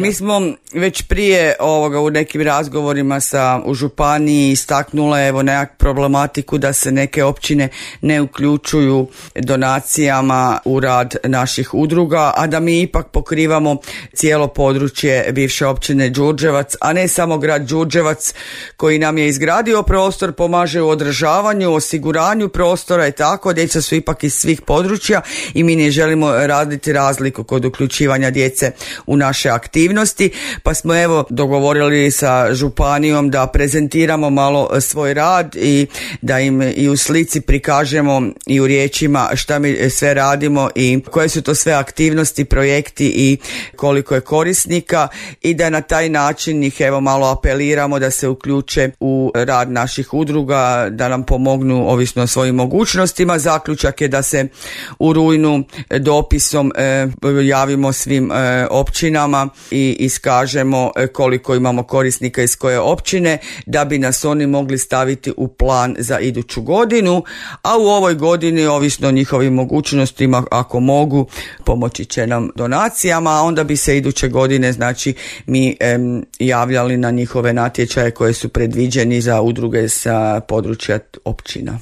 Mi smo već prije ovoga u nekim razgovorima u županiji istaknule nekakvu problematiku da se neke općine ne uključuju donacijama u rad naših udruga, a da mi ipak pokrivamo cijelo područje bivše općine Đurđevac, a ne samo grad Đurđevac koji nam je izgradio prostor, pomaže u održavanju, osiguranju prostora i tako. Djeca su ipak iz svih područja i mi ne želimo raditi razliku kod uključivanja djece u naše aktivnosti. Pa smo dogovorili sa županijom da prezentiramo malo svoj rad i da im i u slici prikažemo i u riječima šta mi sve radimo i koje su to sve aktivnosti, projekti i koliko je korisnika, i da na taj način ih malo apeliramo da se uključe u rad naših udruga, da nam pomognu ovisno o svojim mogućnostima. Zaključak je da se u rujnu dopisom javimo svim općinama i iskažemo koliko imamo korisnika iz koje općine, da bi nas oni mogli staviti u plan za iduću godinu, a u ovoj godini ovisno o njihovim mogućnostima, ako mogu, pomoći će nam donacijama, a onda bi se iduće godine mi javljali na njihove natječaje koje su predviđeni za udruge sa područja općina.